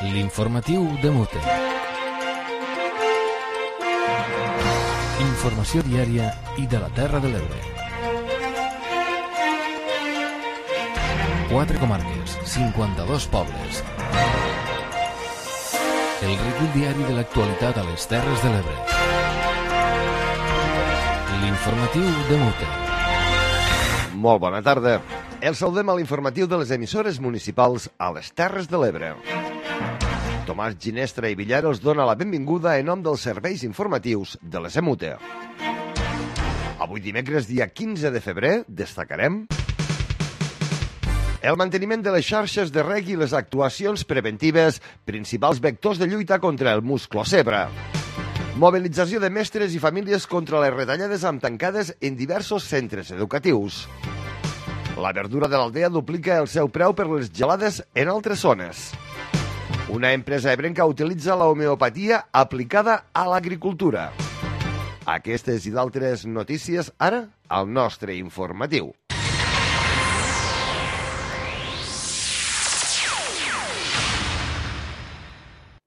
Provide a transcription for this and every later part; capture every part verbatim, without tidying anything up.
L'informatiu de Mute. Informació diària i de la Terra de l'Ebre. Quatre comarques, cinquanta-dos pobles. El recull diari de l'actualitat a les Terres de l'Ebre. L'informatiu de Mute. Molt bona tarda. El saludem a l'informatiu de les emissores municipals a les Terres de l'Ebre. Tomàs Ginestra i Villar els dona la benvinguda en nom dels serveis informatius de les E M U T E. Avui dimecres, dia quinze de febrer, destacarem el manteniment de les xarxes de reg i les actuacions preventives, principals vectors de lluita contra el musclo-cebra. Mobilització de mestres i famílies contra les retallades amb tancades en diversos centres educatius. La verdura de l'aldea duplica el seu preu per les gelades en altres zones. Una empresa ebrenca utilitza la homeopatia aplicada a l'agricultura. Aquestes i d'altres notícies ara al nostre informatiu.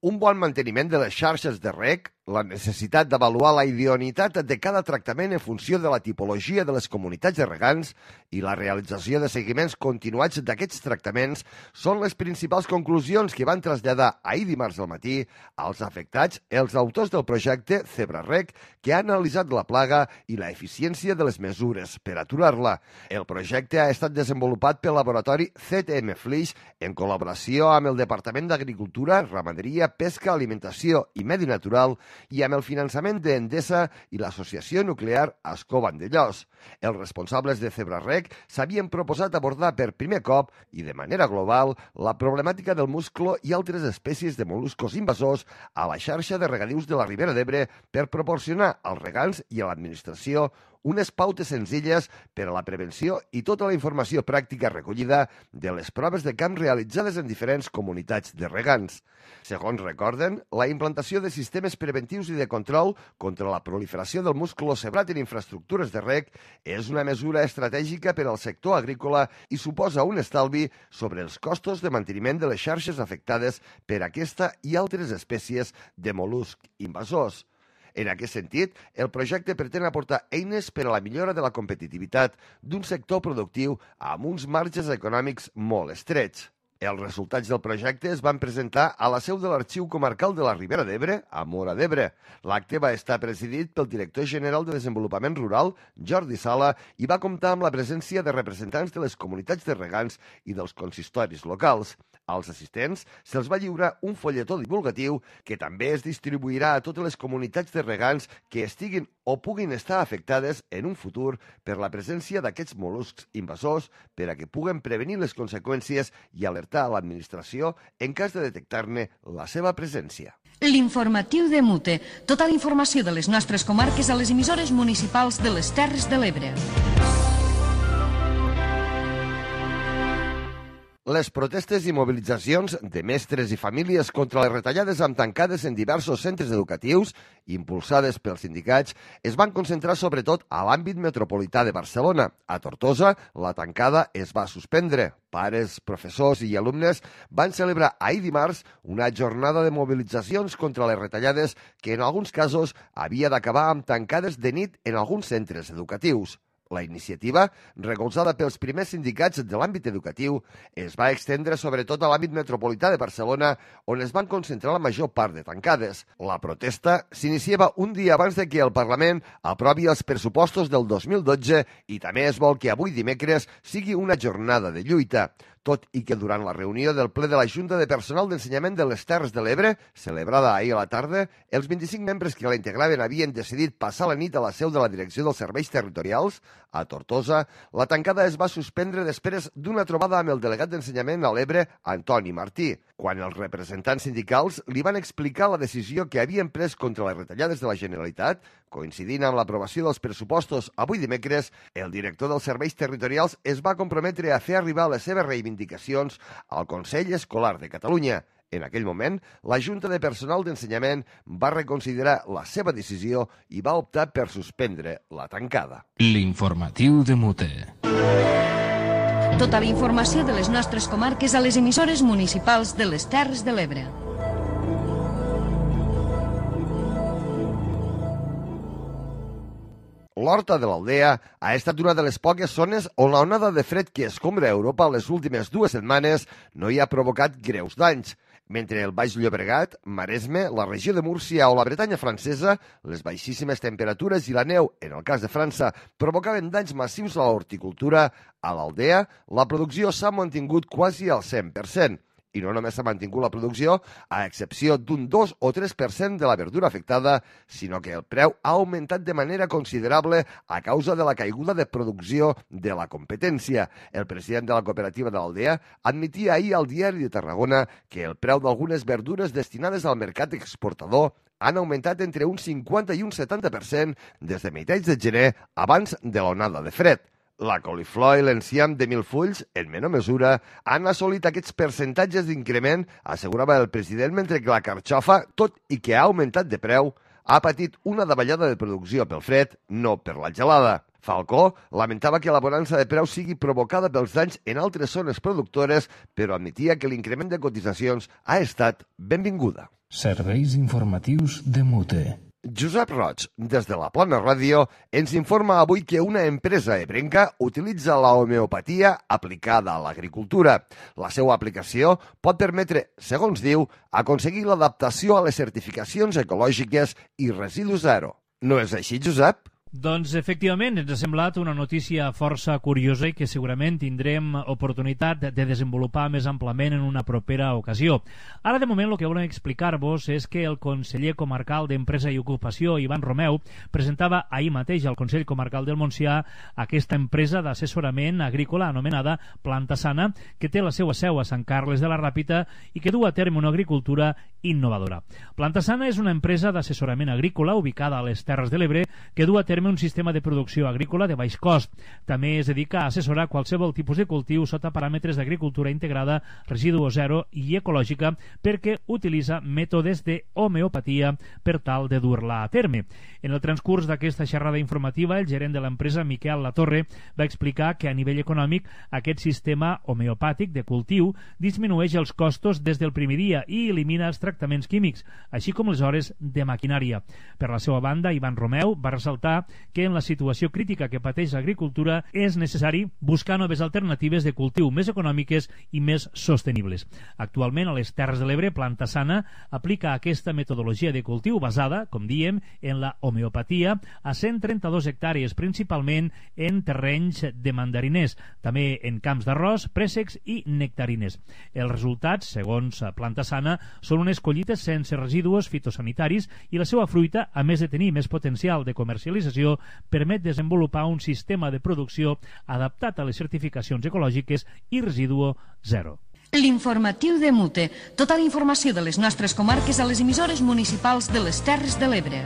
Un bon manteniment de les xarxes de reg, la necessitat d'avaluar la idoneïtat de cada tractament en funció de la tipologia de les comunitats de regants i la realització de seguiments continuats d'aquests tractaments són les principals conclusions que van traslladar ahir dimarts al matí als afectats els autors del projecte CebraReg, que ha analitzat la plaga i la eficiència de les mesures per aturar-la. El projecte ha estat desenvolupat pel laboratori C T M Flix en col·laboració amb el Departament d'Agricultura, Ramaderia, Pesca, Alimentació i Medi Natural i amb el finançament d'Endesa i l'Associació Nuclear Ascó Vandellòs. Els responsables de CebraReg s'havien proposat abordar per primer cop i de manera global la problemàtica del musclo i altres espècies de mol·luscos invasors a la xarxa de regadius de la Ribera d'Ebre per proporcionar als regants i a l'administració unes pautes senzilles per a la prevenció i tota la informació pràctica recollida de les proves de camp realitzades en diferents comunitats de regants. Segons recorden, la implantació de sistemes preventius i de control contra la proliferació del musclo cebrat en infraestructures de reg és una mesura estratègica per al sector agrícola i suposa un estalvi sobre els costos de manteniment de les xarxes afectades per aquesta i altres espècies de mol·luscs invasors. En aquest sentit, el projecte pretén aportar eines per a la millora de la competitivitat d'un sector productiu amb uns marges econòmics molt estrets. Els resultats del projecte es van presentar a la seu de l'Arxiu Comarcal de la Ribera d'Ebre, a Móra d'Ebre. L'acte va estar presidit pel director general de Desenvolupament Rural, Jordi Sala, i va comptar amb la presència de representants de les comunitats de regants i dels consistoris locals. Als assistents se'ls va lliurar un folletó divulgatiu que també es distribuirà a totes les comunitats de regants que estiguin o puguin estar afectades en un futur per la presència d'aquests mol·luscs invasors per a que puguen prevenir les conseqüències i alertar a l'administració en cas de detectar-ne la seva presència. L'informatiu de Mute. Tota la informació de les nostres comarques a les emissores municipals de les Terres de l'Ebre. Les protestes i mobilitzacions de mestres i famílies contra les retallades amb tancades en diversos centres educatius, impulsades pels sindicats, es van concentrar sobretot a l'àmbit metropolità de Barcelona. A Tortosa, la tancada es va suspendre. Pares, professors i alumnes van celebrar ahir dimarts una jornada de mobilitzacions contra les retallades que en alguns casos havia d'acabar amb tancades de nit en alguns centres educatius. La iniciativa, recolzada pels primers sindicats de l'àmbit educatiu, es va extendre sobretot a l'àmbit metropolità de Barcelona, on es van concentrar la major part de tancades. La protesta s'iniciava un dia abans de que el Parlament aprovi els pressupostos del dos mil dotze i també es vol que avui dimecres sigui una jornada de lluita. Tot i que durant la reunió del ple de la Junta de Personal d'Ensenyament de les Terres de l'Ebre, celebrada ahir a la tarda, els vint-i-cinc membres que la integraven havien decidit passar la nit a la seu de la Direcció dels Serveis Territorials, a Tortosa, la tancada es va suspendre després d'una trobada amb el delegat d'Ensenyament a l'Ebre, Antoni Martí. Quan els representants sindicals li van explicar la decisió que havien pres contra les retallades de la Generalitat, coincidint amb l'aprovació dels pressupostos avui dimecres, el director dels Serveis Territorials es va comprometre a fer arribar les seves reivindicacions al Consell Escolar de Catalunya. En aquell moment, la Junta de Personal d'Ensenyament va reconsiderar la seva decisió i va optar per suspendre la tancada. L'informatiu de Mute. Tota la informació de les nostres comarques a les emissores municipals de les Terres de l'Ebre. l'Horta de l'Aldea ha estat una de les poques zones on la onada de fred que escombra Europa les últimes dues setmanes no hi ha provocat greus danys. Mentre el Baix Llobregat, Maresme, la regió de Múrcia o la Bretanya francesa, les baixíssimes temperatures i la neu, en el cas de França, provocaven danys massius a l'horticultura, a l'Aldea la producció s'ha mantingut quasi al cent per cent. I no només s'ha mantingut la producció, a excepció d'un dos o tres per cent de la verdura afectada, sinó que el preu ha augmentat de manera considerable a causa de la caiguda de producció de la competència. El president de la cooperativa de l'Aldea admetia ahir al Diari de Tarragona que el preu d'algunes verdures destinades al mercat exportador han augmentat entre un cinquanta i un setanta per cent des de meitats de gener abans de l'onada de fred. La coliflor i l'enciam de mil fulls, en menor mesura, han assolit aquests percentatges d'increment, assegurava el president, mentre que la carxofa, tot i que ha augmentat de preu, ha patit una davallada de producció pel fred, no per la gelada. Falcó lamentava que la bonança de preu sigui provocada pels danys en altres zones productores, però admetia que l'increment de cotitzacions ha estat benvinguda. Serveis informatius de Mute. Josep Roig, des de la Plana Ràdio, ens informa avui que una empresa ebrenca utilitza la homeopatia aplicada a l'agricultura. La seva aplicació pot permetre, segons diu, aconseguir l'adaptació a les certificacions ecològiques i residus zero. No és així, Josep? Doncs, efectivament, ens ha semblat una notícia força curiosa i que segurament tindrem oportunitat de desenvolupar més amplament en una propera ocasió. Ara, de moment, el que volem explicar-vos és que el conseller comarcal d'Empresa i Ocupació, Ivan Romeu, presentava ahir mateix al Consell Comarcal del Montsià aquesta empresa d'assessorament agrícola anomenada Planta Sana, que té la seva seu a Sant Carles de la Ràpita i que du a terme una agricultura innovadora. Planta Sana és una empresa d'assessorament agrícola ubicada a les Terres de l'Ebre que du a terme un sistema de producció agrícola de baix cost. També es dedica a assessorar qualsevol tipus de cultiu sota paràmetres d'agricultura integrada, residu zero i ecològica perquè utilitza mètodes d'homeopatia per tal de dur-la a terme. En el transcurs d'aquesta xerrada informativa, el gerent de l'empresa, Miquel Latorre, va explicar que a nivell econòmic aquest sistema homeopàtic de cultiu disminueix els costos des del primer dia i elimina els tractaments químics, així com les hores de maquinària. Per la seva banda, Ivan Romeu va ressaltar que en la situació crítica que pateix l'agricultura és necessari buscar noves alternatives de cultiu més econòmiques i més sostenibles. Actualment, a les Terres de l'Ebre, Planta Sana aplica aquesta metodologia de cultiu basada, com diem, en la homeopatia a cent trenta-dos hectàrees, principalment en terrenys de mandariners, també en camps d'arròs, préssecs i nectarines. Els resultats, segons Planta Sana, són unes collites sense residus fitosanitaris i la seva fruita, a més de tenir més potencial de comercialització, permet desenvolupar un sistema de producció adaptat a les certificacions ecològiques i residu zero. L'informatiu de Mute. Tota la informació de les nostres comarques a les emissores municipals de les Terres de l'Ebre.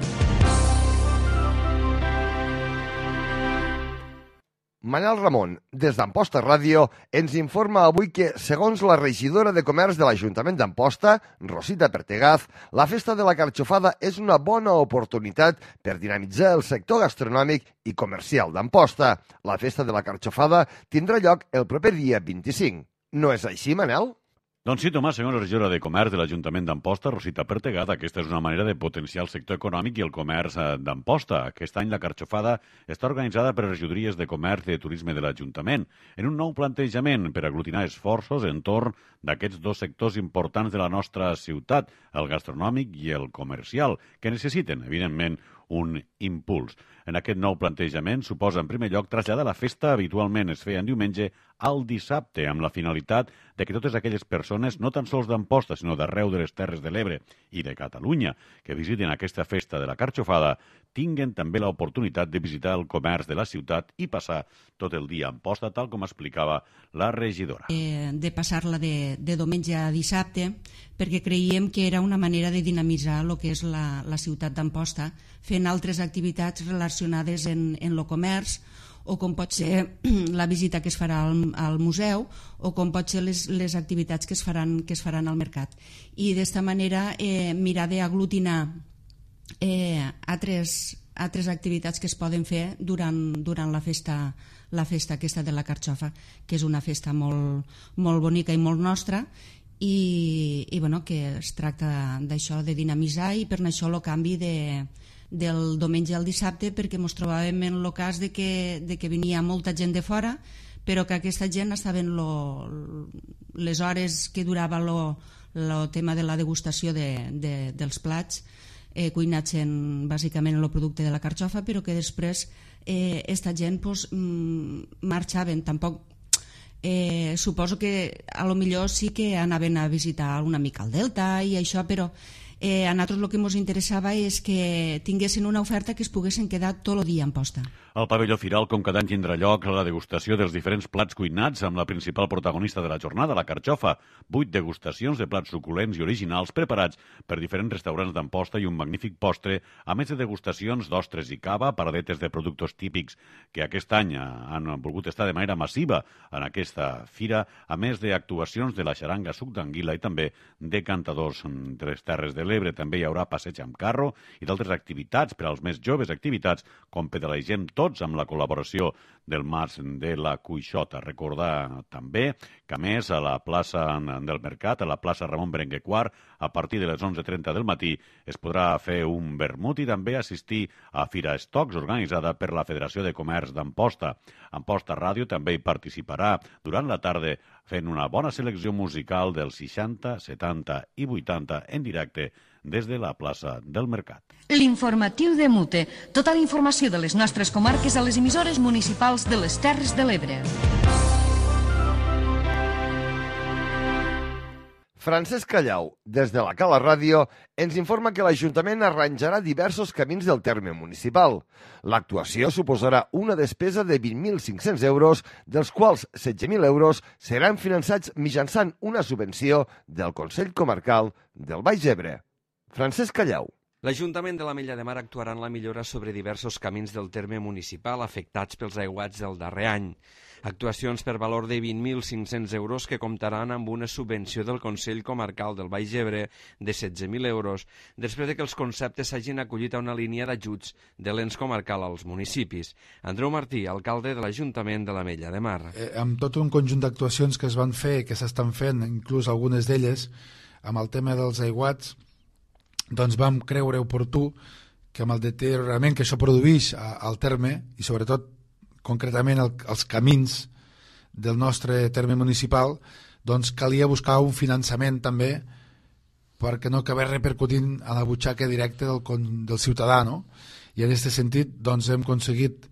Manel Ramon, des d'Amposta Ràdio, ens informa avui que, segons la regidora de Comerç de l'Ajuntament d'Amposta, Rosita Pertegaz, la festa de la carxofada és una bona oportunitat per dinamitzar el sector gastronòmic i comercial d'Amposta. La festa de la carxofada tindrà lloc el proper dia vint-i-cinc. No és així, Manel? Doncs sí, Tomàs, segons la regidora de Comerç de l'Ajuntament d'Amposta, Rosita Pertegaz, aquesta és una manera de potenciar el sector econòmic i el comerç d'Amposta. Aquest any la carxofada està organitzada per les regidories de Comerç i de Turisme de l'Ajuntament en un nou plantejament per aglutinar esforços entorn d'aquests dos sectors importants de la nostra ciutat, el gastronòmic i el comercial, que necessiten, evidentment, un impuls. En aquest nou plantejament suposa, en primer lloc, traslladar la festa habitualment es feia en diumenge al dissabte, amb la finalitat de que totes aquelles persones, no tan sols d'Amposta, sinó d'arreu de les Terres de l'Ebre i de Catalunya, que visiten aquesta festa de la carxofada, tinguen també l'oportunitat de visitar el comerç de la ciutat i passar tot el dia a Amposta, tal com explicava la regidora. Eh, de passar-la de, de diumenge a dissabte, perquè creiem que era una manera de dinamitzar el que és la, la ciutat d'Amposta, fent altres activitats relacionades en, en el comerç, o com pot ser la visita que es farà al, al museu, o com pot ser les, les activitats que es faran, que es faran al mercat. I d'esta manera eh, mirar d'aglutinar eh, altres, altres activitats que es poden fer durant, durant la festa, la festa aquesta de la carxofa, que és una festa molt, molt bonica i molt nostra, i, i bueno, que es tracta d'això, de dinamitzar, i per això el canvi de del diumenge al dissabte, perquè ens trobàvem en el cas de que, de que venia molta gent de fora, però que aquesta gent estava en lo, les hores que durava el tema de la degustació de, de, dels plats, eh, cuinats en, bàsicament en el producte de la carxofa, però que després eh, esta gent pues, marxaven. Tampoc eh, suposo que a lo millor sí que anaven a visitar una mica el Delta i això, però eh, a nosaltres el que ens interessava és que tinguessin una oferta que es poguessin quedar tot el dia en posta. Al pavelló Firal, com cada any, tindrà lloc la degustació dels diferents plats cuinats amb la principal protagonista de la jornada, la carxofa. Vuit degustacions de plats suculents i originals preparats per diferents restaurants d'Amposta i un magnífic postre, a més de degustacions d'ostres i cava, paradetes de productes típics que aquest any han volgut estar de manera massiva en aquesta fira, a més d'actuacions de la xaranga suc d'anguila i també de cantadors de les Terres de l'Ebre. També hi haurà passeig amb carro i d'altres activitats per als més joves, activitats com pedalegem tots amb la col·laboració del Mas de la Cuixota. Recordar també que, a més, a la plaça del Mercat, a la plaça Ramon Berenguer quart, a partir de les onze trenta del matí, es podrà fer un vermut i també assistir a Fira Estocs, organitzada per la Federació de Comerç d'Amposta. Amposta Ràdio també hi participarà durant la tarda fent una bona selecció musical dels seixanta, setanta i vuitanta en directe des de la plaça del Mercat. L'informatiu de Mute. Tota la informació de les nostres comarques a les emissores municipals de les Terres de l'Ebre. Francesc Callau, des de la Cala Ràdio, ens informa que l'Ajuntament arranjarà diversos camins del terme municipal. L'actuació suposarà una despesa de vint mil cinc-cents euros, dels quals setze mil euros seran finançats mitjançant una subvenció del Consell Comarcal del Baix Ebre. Francesc Callau. L'Ajuntament de l'Ametlla de Mar actuarà en la millora sobre diversos camins del terme municipal afectats pels aiguats del darrer any. Actuacions per valor de vint mil cinc-cents euros que comptaran amb una subvenció del Consell Comarcal del Baix Ebre de setze mil euros, després de que els conceptes s'hagin acollit a una línia d'ajuts de l'ens comarcal als municipis. Andreu Martí, alcalde de l'Ajuntament de l'Ametlla de Mar. Eh, amb tot un conjunt d'actuacions que es van fer, que s'estan fent, inclús algunes d'elles, amb el tema dels aiguats, doncs vam creure oportú que amb el deteriorament que això produeix al terme, i sobretot concretament el, els camins del nostre terme municipal, doncs calia buscar un finançament també perquè no acabés repercutint a la butxaca directa del, del ciutadà, no? I en aquest sentit doncs, hem aconseguit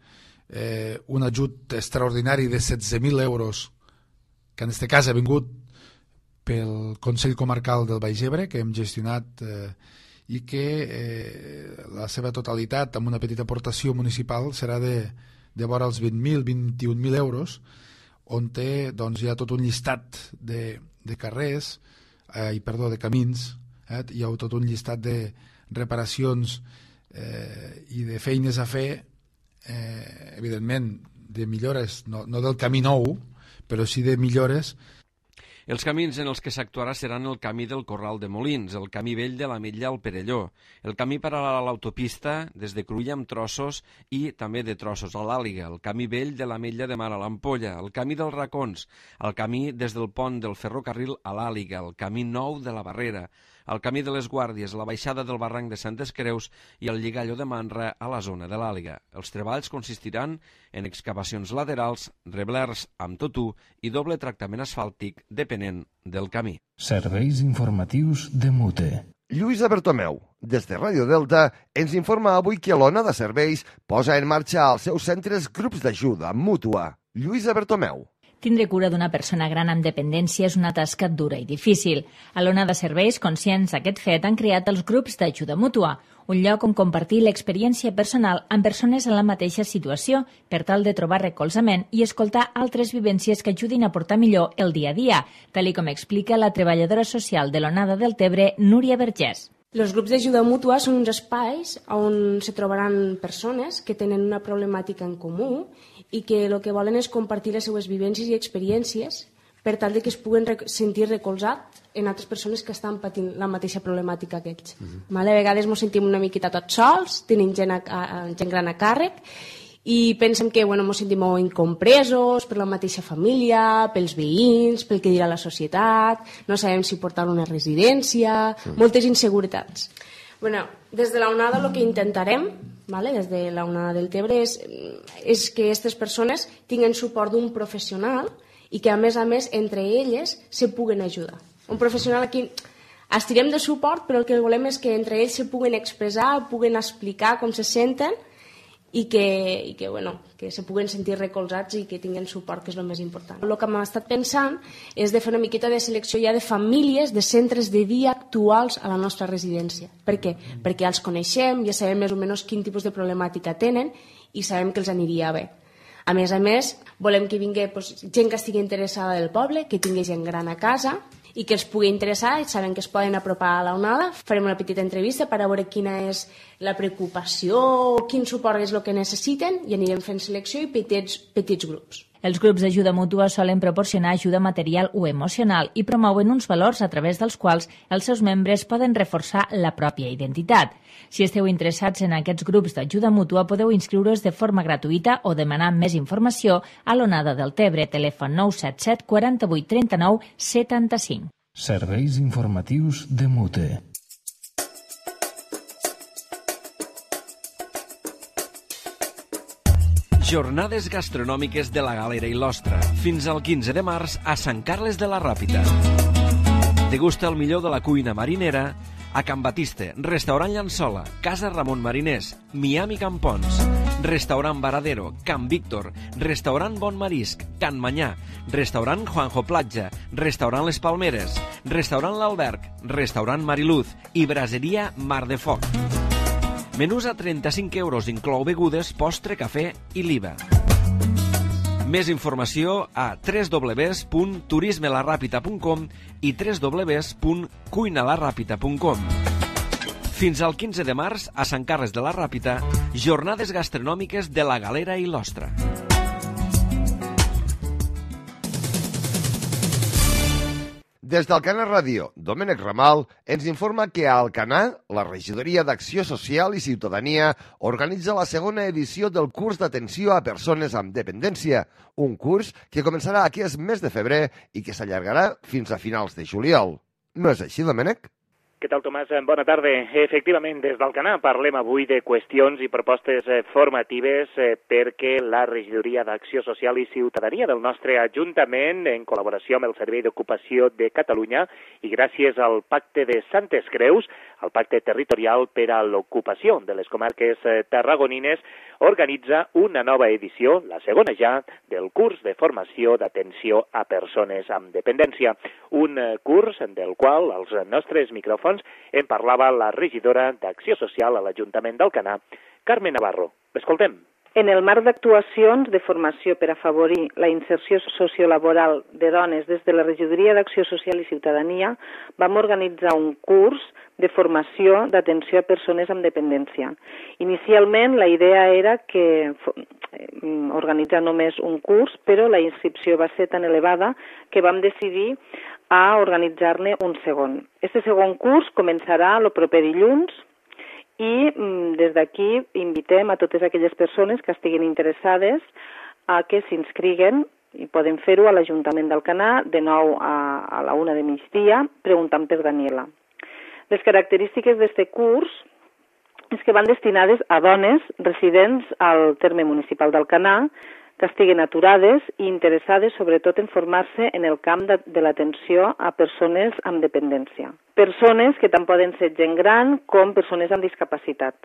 eh, un ajut extraordinari de setze mil euros, que en aquest cas ha vingut pel Consell Comarcal del Baix Ebre, que hem gestionat eh, i que eh, la seva totalitat, amb una petita aportació municipal, serà de, de vora els vint mil, vint-i-un mil euros, on té, doncs, hi ha tot un llistat de, de carrers, eh, i perdó, de camins, eh, hi ha tot un llistat de reparacions eh, i de feines a fer, eh, evidentment, de millores, no, no del camí nou, però sí de millores. Els camins en els que s'actuarà seran el camí del Corral de Molins, el camí vell de l'Ametlla al Perelló, el camí paral·lel a l'autopista des de Cruïlla amb Trossos i també de Trossos a l'Àliga, el camí vell de l'Ametlla de Mar a l'Ampolla, el camí dels Racons, el camí des del pont del ferrocarril a l'Àliga, el camí nou de la Barrera, el camí de les Guàrdies, la baixada del barranc de Santes Creus i el lligalló de Manra a la zona de l'Àliga. Els treballs consistiran en excavacions laterals, reblers amb totú i doble tractament asfàltic depenent del camí. Serveis informatius de Mute. Lluïsa Bertomeu, des de Ràdio Delta, ens informa avui que l'Onada Serveis posa en marxa als seus centres grups d'ajuda mútua. Lluïsa Bertomeu. Tindre cura d'una persona gran amb dependència és una tasca dura i difícil. A l'Ona de Serveis, conscients d'aquest fet, han creat els grups d'ajuda mútua, un lloc on compartir l'experiència personal amb persones en la mateixa situació per tal de trobar recolzament i escoltar altres vivències que ajudin a portar millor el dia a dia, tal com explica la treballadora social de l'Onada del Tebre, Núria Vergés. Els grups d'ajuda mútua són uns espais on se trobaran persones que tenen una problemàtica en comú i que el que volen és compartir les seues vivències i experiències per tal de que es puguen sentir recolzats en altres persones que estan patint la mateixa problemàtica que ells. Uh-huh. A vegades ens sentim una miqueta tots sols, tenim gent, a, a, gent gran a càrrec i pensem que bueno, ens sentim molt incompresos per la mateixa família, pels veïns, pel que dirà la societat, no sabem si portar una residència, uh-huh. moltes inseguretats. Bueno, des de la onada el que intentarem, vale, des de la onada del Tebre, és, és que aquestes persones tinguin suport d'un professional i que, a més a més, entre elles se puguen ajudar. Un professional aquí estirem de suport, però el que volem és que entre ells se puguen expressar, puguen explicar com se senten i que, i que, bueno, que se puguen sentir recolzats i que tinguin suport, que és el més important. El que hem estat pensant és de fer una miqueta de selecció ja de famílies, de centres de dia actuals a la nostra residència. Per què? Perquè ja els coneixem, ja sabem més o menys quin tipus de problemàtica tenen i sabem que els aniria bé. A més a més, volem que vingui doncs, gent que estigui interessada del poble, que tingui gent gran a casa i que els pugui interessar, i saben que es poden apropar a la onada. Farem una petita entrevista per a veure quina és la preocupació, quin suport és el que necessiten, i anirem fent selecció i petits, petits grups. Els grups d'ajuda mútua solen proporcionar ajuda material o emocional i promouen uns valors a través dels quals els seus membres poden reforçar la pròpia identitat. Si esteu interessats en aquests grups d'ajuda mútua, podeu inscriure's de forma gratuïta o demanar més informació a l'Onada del Tebre, telèfon nou set set quaranta-vuit trenta-nou setanta-cinc. Serveis informatius de Mute. Jornades gastronòmiques de la Galera i l'Ostra, fins al quinze de març a Sant Carles de la Ràpita. Degusta el millor de la cuina marinera a Can Batiste, Restaurant Llançola, Casa Ramon Mariners, Miami Campons, Restaurant Varadero, Can Víctor, Restaurant Bon Marisc, Can Manyà, Restaurant Juanjo Platja, Restaurant Les Palmeres, Restaurant L'Alberg, Restaurant Mariluz i Braseria Mar de Foc. Menús a trenta-cinc euros, inclou begudes, postre, cafè i l'I V A. Més informació a w w w punt turisme la ràpita punt com i w w w punt cuina la ràpita punt com. Fins al quinze de març, a Sant Carles de la Ràpita, jornades gastronòmiques de la Galera i l'Ostra. Des d'Alcanar Ràdio, Domènec Ramal ens informa que a Alcanar, la Regidoria d'Acció Social i Ciutadania organitza la segona edició del curs d'atenció a persones amb dependència, un curs que començarà aquest mes de febrer i que s'allargarà fins a finals de juliol. No és així, Domènec? Què tal, Tomàs? Bona tarda. Efectivament, des d'Alcanar parlem avui de qüestions i propostes formatives perquè la Regidoria d'Acció Social i Ciutadania del nostre Ajuntament, en col·laboració amb el Servei d'Ocupació de Catalunya i gràcies al Pacte de Santes Creus, el Pacte Territorial per a l'Ocupació de les Comarques Tarragonines, organitza una nova edició, la segona ja, del curs de formació d'atenció a persones amb dependència. Un curs del qual els nostres micròfons en parlava la regidora d'Acció Social a l'Ajuntament d'Alcanar, Carme Navarro. L'escoltem. En el marc d'actuacions de formació per afavorir la inserció sociolaboral de dones des de la Regidoria d'Acció Social i Ciutadania, vam organitzar un curs de formació d'atenció a persones amb dependència. Inicialment la idea era que organitzar només un curs, però la inscripció va ser tan elevada que vam decidir a organitzar-ne un segon. Este segon curs començarà el proper dilluns i des d'aquí invitem a totes aquelles persones que estiguin interessades a que s'inscriguen i poden fer-ho a l'Ajuntament d'Alcanar de nou a, a la una de migdia preguntant per Daniela. Les característiques d'aquest curs és que van destinades a dones residents al terme municipal d'Alcanar que estiguen aturades i interessades sobretot en formar-se en el camp de, de l'atenció a persones amb dependència. Persones que tant poden ser gent gran com persones amb discapacitat.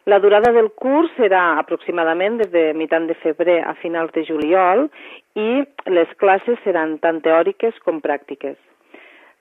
La durada del curs serà aproximadament des de mitjan de febrer a finals de juliol i les classes seran tant teòriques com pràctiques.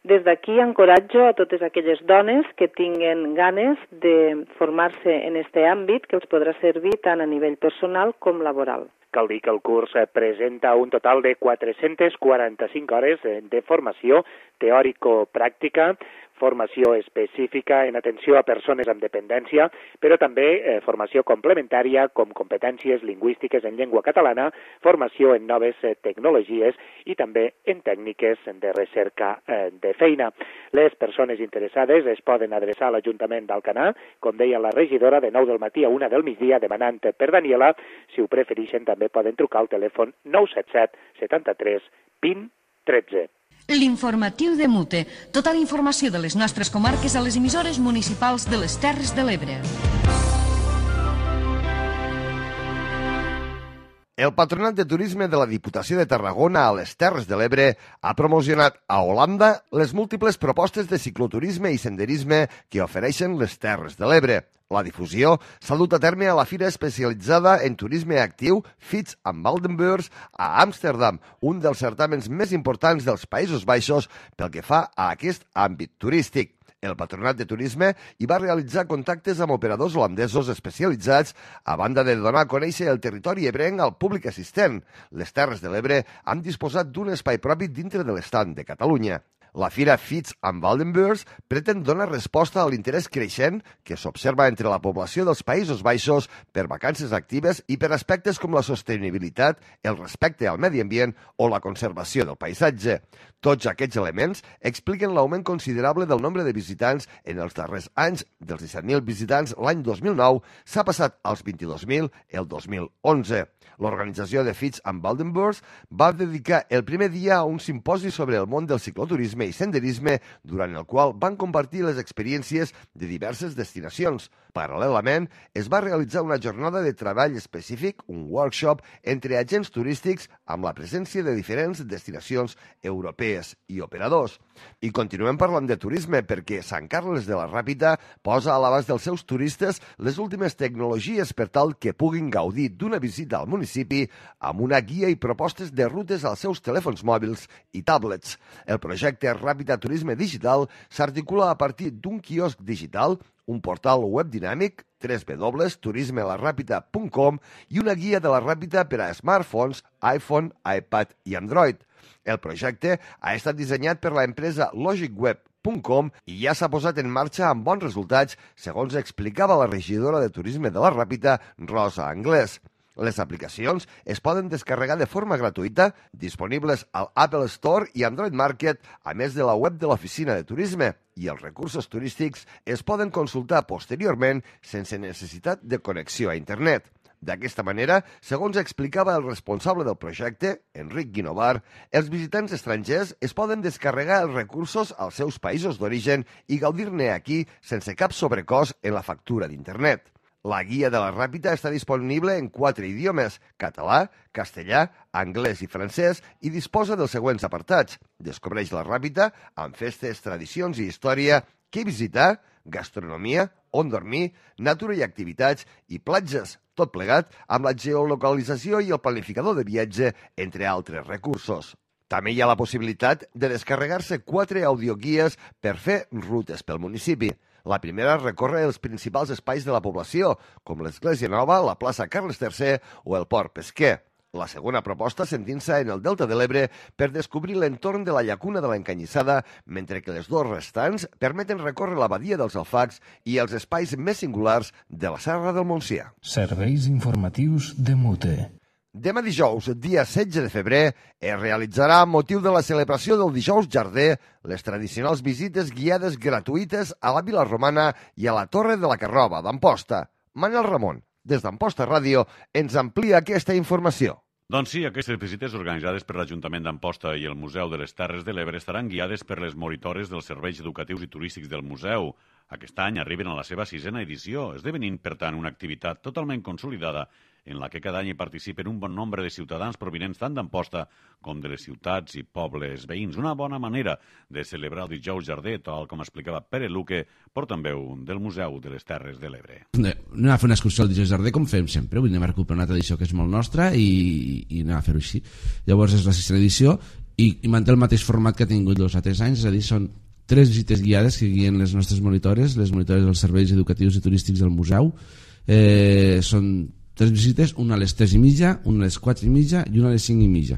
Des d'aquí encoratjo a totes aquelles dones que tinguen ganes de formar-se en aquest àmbit que els podrà servir tant a nivell personal com laboral. Cal dir que el curs presenta un total de quatre-centes quaranta-cinc hores de formació teòrico-pràctica, formació específica en atenció a persones amb dependència, però també eh, formació complementària com competències lingüístiques en llengua catalana, formació en noves eh, tecnologies i també en tècniques de recerca eh, de feina. Les persones interessades es poden adreçar a l'Ajuntament d'Alcanar, com deia la regidora, de nou del matí a una del migdia demanant per Daniela. Si ho prefereixen també poden trucar al telèfon nou set set setanta-tres vint tretze. L'informatiu de Mute. Tota la informació de les nostres comarques a les emissores municipals de les Terres de l'Ebre. El Patronat de Turisme de la Diputació de Tarragona a les Terres de l'Ebre ha promocionat a Holanda les múltiples propostes de cicloturisme i senderisme que ofereixen les Terres de l'Ebre. La difusió s'ha dut a terme a la fira especialitzada en turisme actiu Fitz and Waldenbeurs a Amsterdam, un dels certàmens més importants dels Països Baixos pel que fa a aquest àmbit turístic. El Patronat de Turisme hi va realitzar contactes amb operadors holandesos especialitzats a banda de donar a conèixer el territori ebrenc al públic assistent. Les Terres de l'Ebre han disposat d'un espai propi dintre de l'estand de Catalunya. La fira Fitz and Waldenbeurs pretén donar resposta a l'interès creixent que s'observa entre la població dels Països Baixos per vacances actives i per aspectes com la sostenibilitat, el respecte al medi ambient o la conservació del paisatge. Tots aquests elements expliquen l'augment considerable del nombre de visitants en els darrers anys. Dels disset mil visitants l'any dos mil nou s'ha passat als vint-i-dos mil el dos mil onze. L'organització de Fitz and Waldenbeurs va dedicar el primer dia a un simposi sobre el món del cicloturisme i senderisme, durant el qual van compartir les experiències de diverses destinacions. Paral·lelament, es va realitzar una jornada de treball específic, un workshop entre agents turístics amb la presència de diferents destinacions europees i operadors. I continuem parlant de turisme perquè Sant Carles de la Ràpita posa a l'abast dels seus turistes les últimes tecnologies per tal que puguin gaudir d'una visita al municipi amb una guia i propostes de rutes als seus telèfons mòbils i tablets. El projecte Ràpita Turisme Digital s'articula a partir d'un quiosc digital, un portal web dinàmic, w w w punt turisme la ràpita punt com i una guia de la Ràpita per a smartphones, iPhone, iPad i Android. El projecte ha estat dissenyat per l'empresa logicweb punt com i ja s'ha posat en marxa amb bons resultats, segons explicava la regidora de Turisme de la Ràpita, Rosa Anglès. Les aplicacions es poden descarregar de forma gratuïta, disponibles al Apple Store i Android Market, a més de la web de l'Oficina de Turisme, i els recursos turístics es poden consultar posteriorment sense necessitat de connexió a internet. D'aquesta manera, segons explicava el responsable del projecte, Enric Guinovar, els visitants estrangers es poden descarregar els recursos als seus països d'origen i gaudir-ne aquí sense cap sobrecost en la factura d'internet. La guia de la Ràpita està disponible en quatre idiomes, català, castellà, anglès i francès, i disposa dels següents apartats. Descobreix la Ràpita amb festes, tradicions i història, què visitar, gastronomia, on dormir, natura i activitats i platges, tot plegat amb la geolocalització i el planificador de viatge, entre altres recursos. També hi ha la possibilitat de descarregar-se quatre audioguies per fer rutes pel municipi. La primera recorre els principals espais de la població, com l'Església Nova, la plaça Carles tercer o el Port Pesquer. La segona proposta s'endinsa en el Delta de l'Ebre per descobrir l'entorn de la llacuna de l'Encanyissada, mentre que les dues restants permeten recórrer la badia dels Alfacs i els espais més singulars de la Serra del Montsià. Serveis informatius de Mute. Demà dijous, dia setze de febrer, es realitzarà, amb motiu de la celebració del Dijous Jardí, les tradicionals visites guiades gratuïtes a la Vila Romana i a la Torre de la Carrova d'Amposta. Manel Ramon, des d'Amposta Ràdio, ens amplia aquesta informació. Doncs sí, aquestes visites organitzades per l'Ajuntament d'Amposta i el Museu de les Terres de l'Ebre estaran guiades per les monitores dels serveis educatius i turístics del museu. Aquest any arriben a la seva sisena edició, esdevenint, per tant, una activitat totalment consolidada en la que cada any hi participen un bon nombre de ciutadans provinents tant d'Amposta com de les ciutats i pobles veïns. Una bona manera de celebrar el Dijous Jardí, tal com explicava Pere Luque, portaveu del Museu de les Terres de l'Ebre. Anem a fer una excursió al Dijous Jardí com fem sempre, vull anem a recuperar una tradició que és molt nostra i, i anem a fer-ho així. Llavors és la sisena edició i, i manté el mateix format que ha tingut els altres anys, és a dir, són tres visites guiades que guien les nostres monitores, les monitores dels serveis educatius i turístics del museu. Eh, són tres visites, una a les tres i mitja, una a les quatre i mitja i una a les cinc i mitja.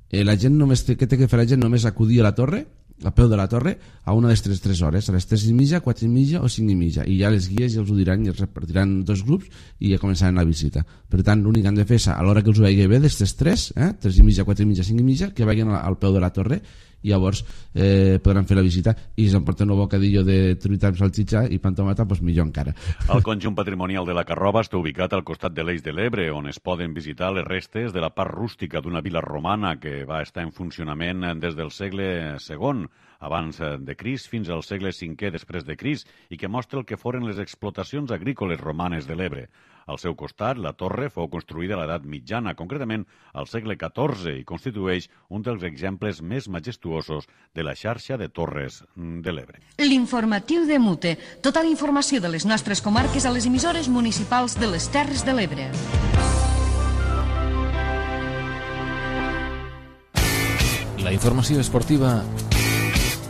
Eh, la gent només té, què té que fer la gent? Només acudir a la torre, a peu de la torre, a una de les tres, tres hores, a les tres i mitja, quatre i mitja o cinc i mitja. I ja les guies ja els ho diran i els repartiran dos grups i ja començaran la visita. Per tant, l'únic que han de fer és, a l'hora que els ho vegi bé, d'aquestes tres, eh, tres i mitja, quatre i mitja, cinc i mitja, que vagin al peu de la torre i llavors eh, podran fer la visita i si s'emporten un bocadillo de truita amb salchicha i pan tomata, doncs millor encara. El conjunt patrimonial de la Carrova està ubicat al costat de l'Eix de l'Ebre, on es poden visitar les restes de la part rústica d'una vila romana que va estar en funcionament des del segle segon abans de Crist fins al segle cinquè després de Crist i que mostra el que foren les explotacions agrícoles romanes de l'Ebre. Al seu costat, la torre fou construïda a l'edat mitjana, concretament al segle catorze, i constitueix un dels exemples més majestuosos de la xarxa de torres de l'Ebre. L'informatiu de Mute. Tota la informació de les nostres comarques a les emissores municipals de les Terres de l'Ebre. La informació esportiva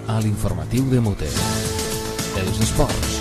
a l'informatiu de Mute. Els esports.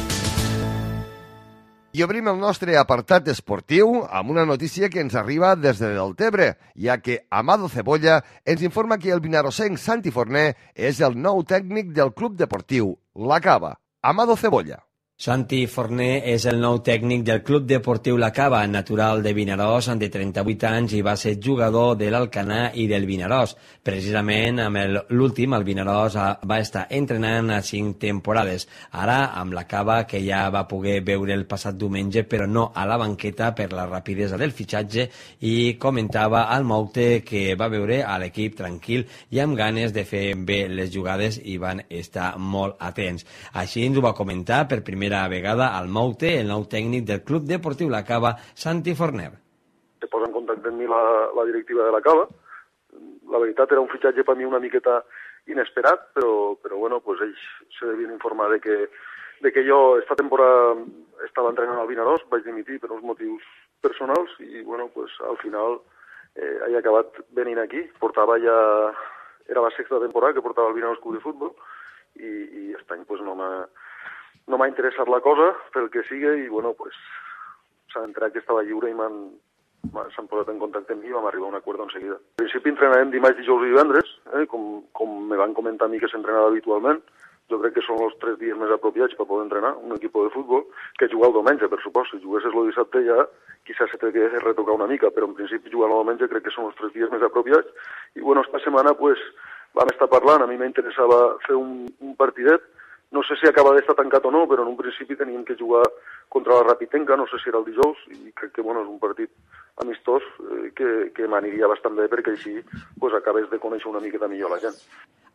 I obrim el nostre apartat esportiu amb una notícia que ens arriba des de Deltebre, ja que Amado Cebolla ens informa que el vinarosenc Santi Forné és el nou tècnic del club deportiu La Cava. Amado Cebolla. Santi Forné és el nou tècnic del Club Deportiu La Cava, natural de Vinaròs, de trenta-vuit anys i va ser jugador de l'Alcanar i del Vinaròs. Precisament amb l'últim, el Vinaròs va estar entrenant a cinc temporades. Ara, amb La Cava, que ja va poder veure el passat diumenge, però no a la banqueta per la rapidesa del fitxatge, i comentava al Moute que va veure a l'equip tranquil i amb ganes de fer bé les jugades i van estar molt atents. Així ens ho va comentar per primera vegada al Moute, el nou tècnic del Club Deportiu La Cava, Santi Forner. Se posa en contacte amb mi la, la directiva de La Cava. La veritat era un fitxatge per mi una miqueta inesperat, però, però bueno, pues ells se devien informar de que, de que jo esta temporada estava entrenant al Vinaròs, vaig dimitir per uns motius personals i bueno, pues al final eh, he acabat venint aquí. Portava ja, era la sexta temporada que portava el Vinaròs Club de Futbol i, i aquest any pues no m'ha no m'ha interessat la cosa, pel que sigui, i bueno, pues s'ha entrat que estava lliure i m'han s'han posat en contacte amb mi i vam arribar a un acord en seguida. En principi entrenarem dimarts, dijous i divendres, eh, com, com me van comentar a mi que s'entrenava habitualment. Jo crec que són els tres dies més apropiats per poder entrenar un equip de futbol, que jugar el diumenge, per supost. Si juguessis el dissabte ja quizás se t'hauria de retocar una mica, però en principi jugar el diumenge crec que són els tres dies més apropiats. I bueno, esta setmana pues vam estar parlant, a mi m'interessava fer un, un partidet. No sé si acaba d'estar tancat o no, però en un principi teníem que jugar contra la Rapitenca, no sé si era el dijous, i crec que bueno, és un partit amistós eh, que, que m'aniria bastant bé perquè així pues, acabes de conèixer una miqueta millor la gent.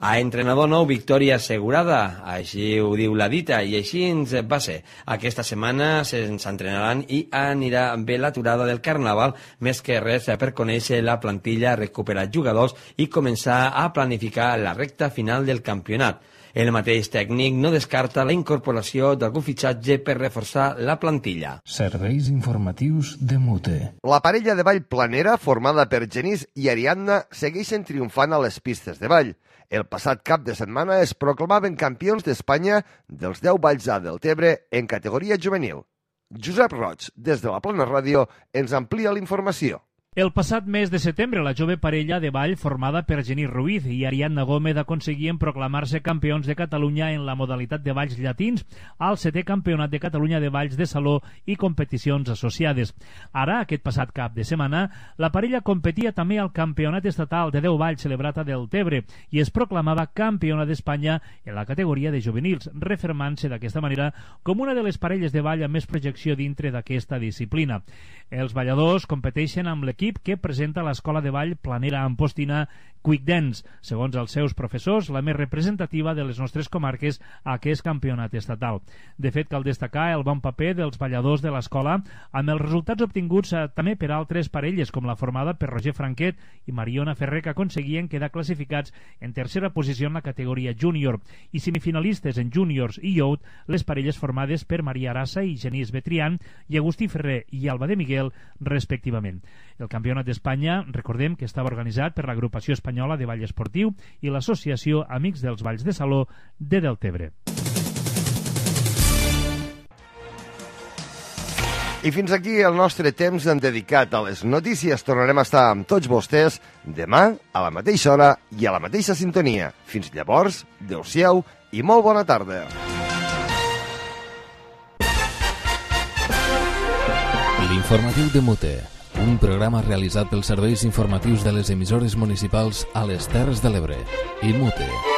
A entrenador nou, victòria assegurada, així ho diu la dita, i així ens va ser. Aquesta setmana se'ns entrenaran i anirà bé l'aturada del Carnaval, més que res per conèixer la plantilla, recuperar jugadors i començar a planificar la recta final del campionat. El mateix tècnic no descarta la incorporació d'algun fitxatge per reforçar la plantilla. Serveis informatius de Mute. La parella de ball planera, formada per Genís i Ariadna, segueixen triomfant a les pistes de ball. El passat cap de setmana es proclamaven campions d'Espanya dels deu balls A del Tebre en categoria juvenil. Josep Roig, des de la Plana Ràdio, ens amplia la informació. El passat mes de setembre, la jove parella de ball formada per Genís Ruiz i Ariadna Gómez aconseguien proclamar-se campions de Catalunya en la modalitat de balls llatins al setè Campionat de Catalunya de Balls de Saló i competicions associades. Ara, aquest passat cap de setmana, la parella competia també al Campionat Estatal de deu balls celebrat a Deltebre i es proclamava campiona d'Espanya en la categoria de juvenils, refermant-se d'aquesta manera com una de les parelles de ball amb més projecció dintre d'aquesta disciplina. Els balladors competeixen amb l'equip que presenta l'Escola de Ball Planera Ampostina Quick Dance, segons els seus professors, la més representativa de les nostres comarques a aquest campionat estatal. De fet, cal destacar el bon paper dels balladors de l'escola amb els resultats obtinguts eh, també per altres parelles, com la formada per Roger Franquet i Mariona Ferrer, que aconseguien quedar classificats en tercera posició en la categoria júnior, i semifinalistes en júniors i youth les parelles formades per Maria Arassa i Genís Betrián i Agustí Ferrer i Alba de Miguel, respectivament. El Campionat d'Espanya, recordem que estava organitzat per l'Agrupació Espanyola de Ball Esportiu i l'Associació Amics dels Balls de Saló de Deltebre. I fins aquí el nostre temps dedicat a les notícies. Tornarem a estar amb tots vostès demà a la mateixa hora i a la mateixa sintonia. Fins llavors, adeu-siau i molt bona tarda. L'informatiu de Mute. Un programa realitzat pels serveis informatius de les emissores municipals a les Terres de l'Ebre. I Mute.